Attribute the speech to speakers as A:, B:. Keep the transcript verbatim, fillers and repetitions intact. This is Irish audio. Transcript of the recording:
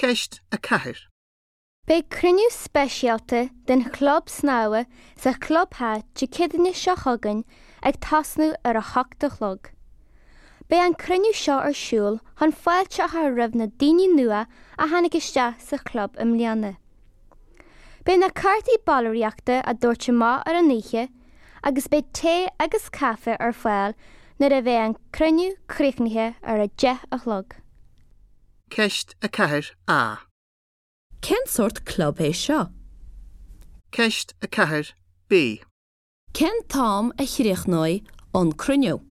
A: Ceist a ceathair.
B: Beidh cruinniú speisialta den chlub snámha sa chlubtheach Dé Céadaoine seo chugainn ag tosnú ar a hocht a chlog. Beidh an cruinniú seo ar siúl chun fáilte a chur roimh na daoine nua a tháinig isteach sa chlub i mbliana. Beidh na cártaí ballraíochta á dtabhairt amach ar an oíche agus beidh tae agus caife ar fáil nuair a bheidh an cruinniú críochnaithe ar a deich a chlog.
A: Ceist a ceathair A.
C: Cén sórt club é seo?
A: Ceist a ceathair B.
C: Cén t-am a chríochnóidh an cruinniú?